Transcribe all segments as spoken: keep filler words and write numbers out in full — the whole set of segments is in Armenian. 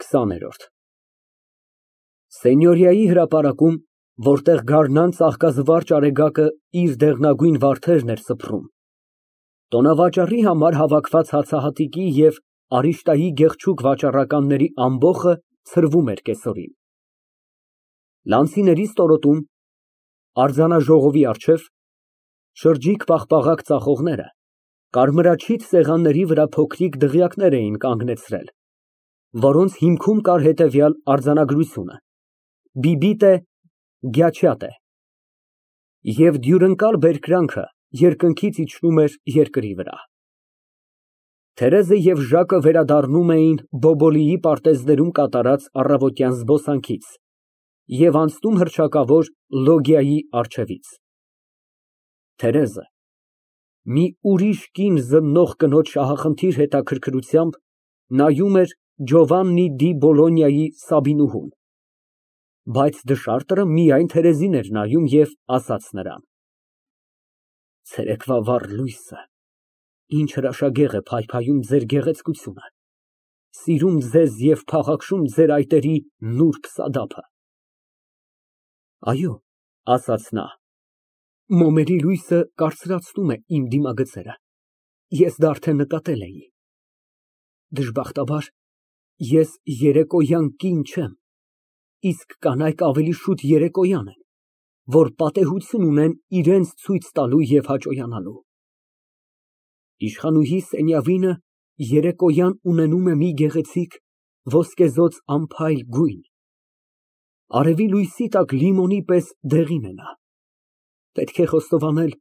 քսաներորդ Սենյորիայի հրապարակում, որտեղ գարնան ծաղկազվարճ արեգակը իր դեղնագույն վարդերն էր սփռում, տոնավաճառի համար հավաքված հացահատիկի և արիշտայի գեղեցիկ վաճառականների ամբոխը ցրվում էր կեսօրին։ Լանցիների ստորոտում, արձանաժողովի առջև, շրջիկ պաղպաղակ ծախողները կարմրաչիթ սեղանների վրա փոքրիկ դղյակներ էին կանգնեցրել, որոնց հիմքում կար հետևյալ արձանագրությունը. բիբիտե, գյաչյատե և դյուրընկալ բերկրանքը երկնքից իջնում էր երկրի վրա։ Թերեզը և Ժակը վերադառնում էին Բոբոլիի պարտեզներում կատարած առավոտյան զբոսանքից և անցնում հռչակավոր լոգիայի առջևից։ Թերեզը մի ուրիշ կին զննող կնոջ շահախնդիր հետաքրքրությամբ նայում էր Ջովաննի դի Բոլոնիայի Սաբինուհուն, բայց դշարտը միայն Թերեզին էր նայում և ասաց նրան. Ցերեկվա վառ լույսը ինչ հրաշագեղ է փայփայում ձեր գեղեցկությունը, սիրում ձեզ և փաղաքշում ձեր այտերի նուրբ սադափը։ Այո, ասաց նա, մոմերի լույսը կարծրացնում է իմ դիմագծերը, ես դա արդեն նկատել էի։ Դժբախտաբար, ես երեկոյան կին չեմ, իսկ կանայք ավելի շուտ երեկոյան են, որ պատեհություն ունեն իրենց ցույց տալու և հաճոյանալու։ Իշխանուհի Սենյավինը երեկոյան ունենում է մի գեղեցիկ ոսկեզօծ անփայլ գույն, արևի լույսի տակ լիմոնի պես դեղին է նա, պետք է խոստովանել,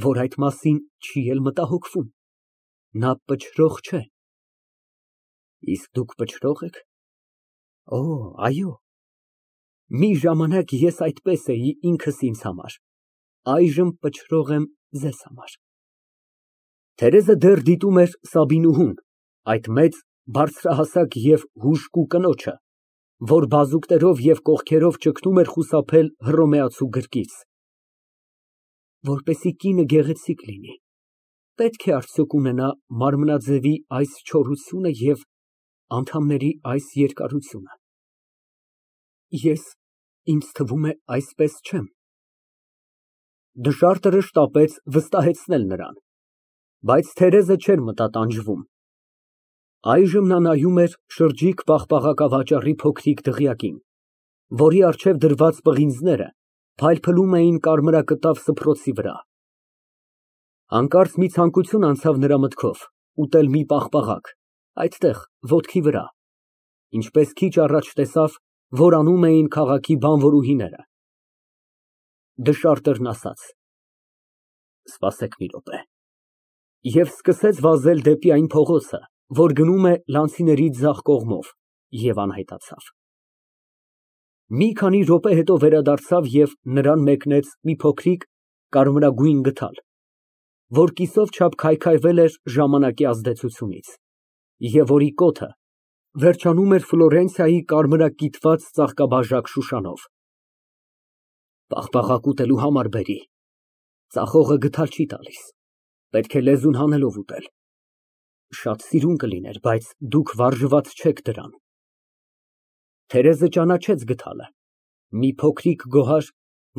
որ այդ մասին չի էլ մտահոգվում, նա պչրող չէ։ Իսկ դուք պչրո՞ղ եք։ Օ, այո, մի ժամանակ ես այդպես էի ինքս ինձ համար, այժմ պչրող եմ ձեզ համար։ Թերեզը դեռ դիտում էր Սաբինուհուն, այդ մեծ, բարձրահասակ և հուժկու կնոջը, որ բազուկներով և կողքերով ճգնում էր խուսափել հռոմեացու գրկից։ Որպեսզի կինը գեղեցիկ լինի, պետք է արդյոք ունենա մարմնաձևի այս չորությունը և անդամների այս երկարությունը։ Ես, ինձ թվում է, այսպես չեմ։ Դշարտը շտապեց վստահեցնել նրան, բայց Թերեզը չէր մտատանջվում։ Այժմ նա նայում էր շրջիկ պաղպաղակավաճառի փոքրիկ դղյակին, որի առջև դրված պղինձները փայլփլում էին կարմրակտավ սփռոցի վրա։ Հանկարծ մի ցանկություն անցավ նրա մտքով ուտել մի պաղպաղակ, այդտեղ, ոտքի վրա, ինչպես քիչ առաջ տեսավ, որ անում էին քաղաքի բանվորուհիները։ Դշարտերն ասաց. «Սպասեք մի րոպե» և սկսեց վազել դեպի այն փողոցը, որ գնում է Լանցիների ձախ կողմով, և անհետացավ։ Մի քանի րոպե հետո վերադարձավ և նրան մեկնեց մի փոքրիկ կարմրագույն գդալ, որ կիսով չափ քայքայվել էր ժամանակի ազդեցությունից, և որի կոթը վերջանում էր Ֆլորենցիայի կարմրակիթված ծաղկաբաժակ շուշանով։ Պաղպաղակ ուտելու համար բերի, ծախողը գդալ չի տալիս, պետք է լեզուն հանելով ուտել։ Շատ սիրուն կլիներ, բայց դուք վարժված չեք դրան։ Թերեզը ճանաչեց գդալը, մի փոքրիկ գոհար,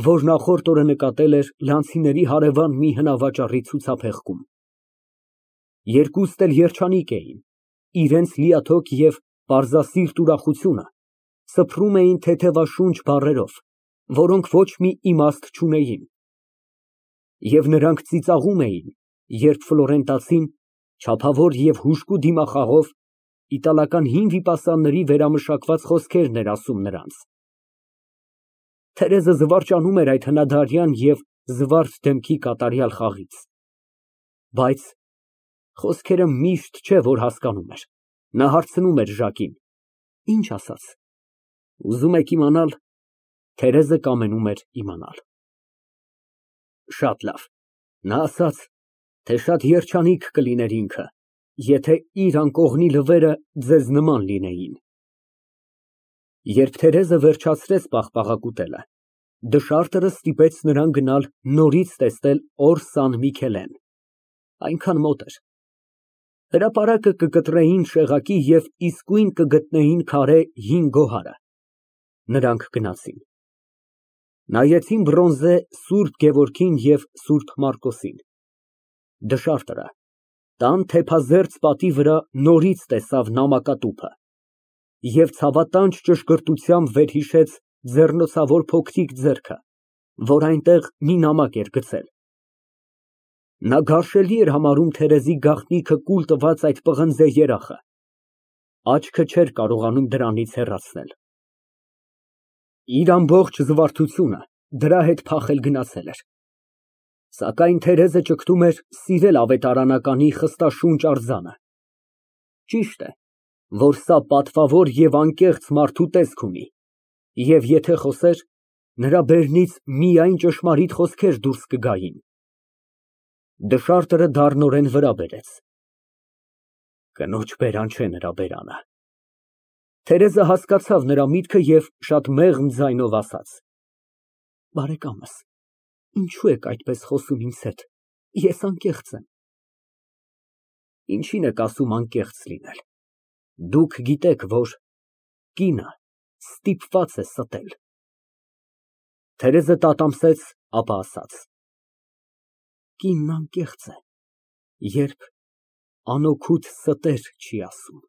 որ նախորդ օրը նկատել էր Լանցիների հարևան մի հնավաճառի ցուցափեղկում։ Երկուստ էլ երջանիկ էին, իրենց լիաթոք և պարզասիրտ ուրախությունը սփռում էին թեթևաշունչ բառերով, որոնք ոչ մի իմաստ չունեին, և նրանք ծիծաղում էին, երբ ֆլորենտացին, չափավոր և հուժկու դիմախաղով, իտալական հին վիպասանների վերամշակված խոսքերն էր ասում նրանց։ Թերեզը զվարճանում էր այդ հնադարյան և զվարթ դեմքի կատարյալ խաղից, բայց խոսքերը միշտ չէ, որ հասկանում էր, նա հարցնում էր Ժակին. Ինչ ասաց։ Ուզում եք իմանալ։ Թերեզը կամենում էր իմանալ։ Շատ լավ, նա ասաց, թե շատ երջանիկ կլիներ ինքը, եթե իր անկողնի լվերը ձեզ նման լինեին։ Երբ Թերեզը վերջացրեց պաղպաղակ ուտելը, դշարտը ստիպեց նրան գնալ նորից տեսնել Օր Սան Միքելեն, այնքան մոտ էր։ Հրապարակը կկտրեին շեղակի և իսկույն կգտնեին քարե հին գոհարը։ Նրանք գնացին։ Նայեցին բրոնզե Սուրբ Գևորգին և Սուրբ Մարկոսին։ Դշարտը տան թեփազերծ պատի վրա նորից տեսավ նամակատուփը և ցավատանջ ճշգրտությամբ վերհիշեց ձեռնոցավոր փոքրիկ ձեռքը, որ այնտեղ մի նամակ էր գցել։ Նա գարշելի էր համարում Թերեզի գաղտնիքը կուլ տված այդ պղնձե երախը, աչքը չէր կարողանում դրանից հեռացնել։ Իր ամբողջ զվարթությունը դրա հետ փախել գնացել էր, սակայն Թերեզը ճգտում էր սիրել ավետարանականի խստաշունչ արձանը։ Ճիշտ է, որ սա պատվավոր և անկեղծ մարդու տեսք ունի, և եթե խոսեր, նրա բերնից միայն ճշմարիտ խոսքեր դուրս կգային։ Դշարտը դառնորեն վրա բերեց։ Կնոջ բերան չէ նրա բերանը։ Թերեզը հասկացավ նրա միտքը և շատ մեղմ ձայնով ասաց. Բարեկամս, ինչո՞ւ եք այդպես խոսում ինձ հետ, ես անկեղծ եմ։ Ինչի՞ն եք ասում անկեղծ լինել, դուք գիտեք, որ կինը ստիպված է ստել։ Թերեզը տատամսեց, ապա ասաց. Կինն անկեղծ է, երբ անօգուտ ստեր չի ասում։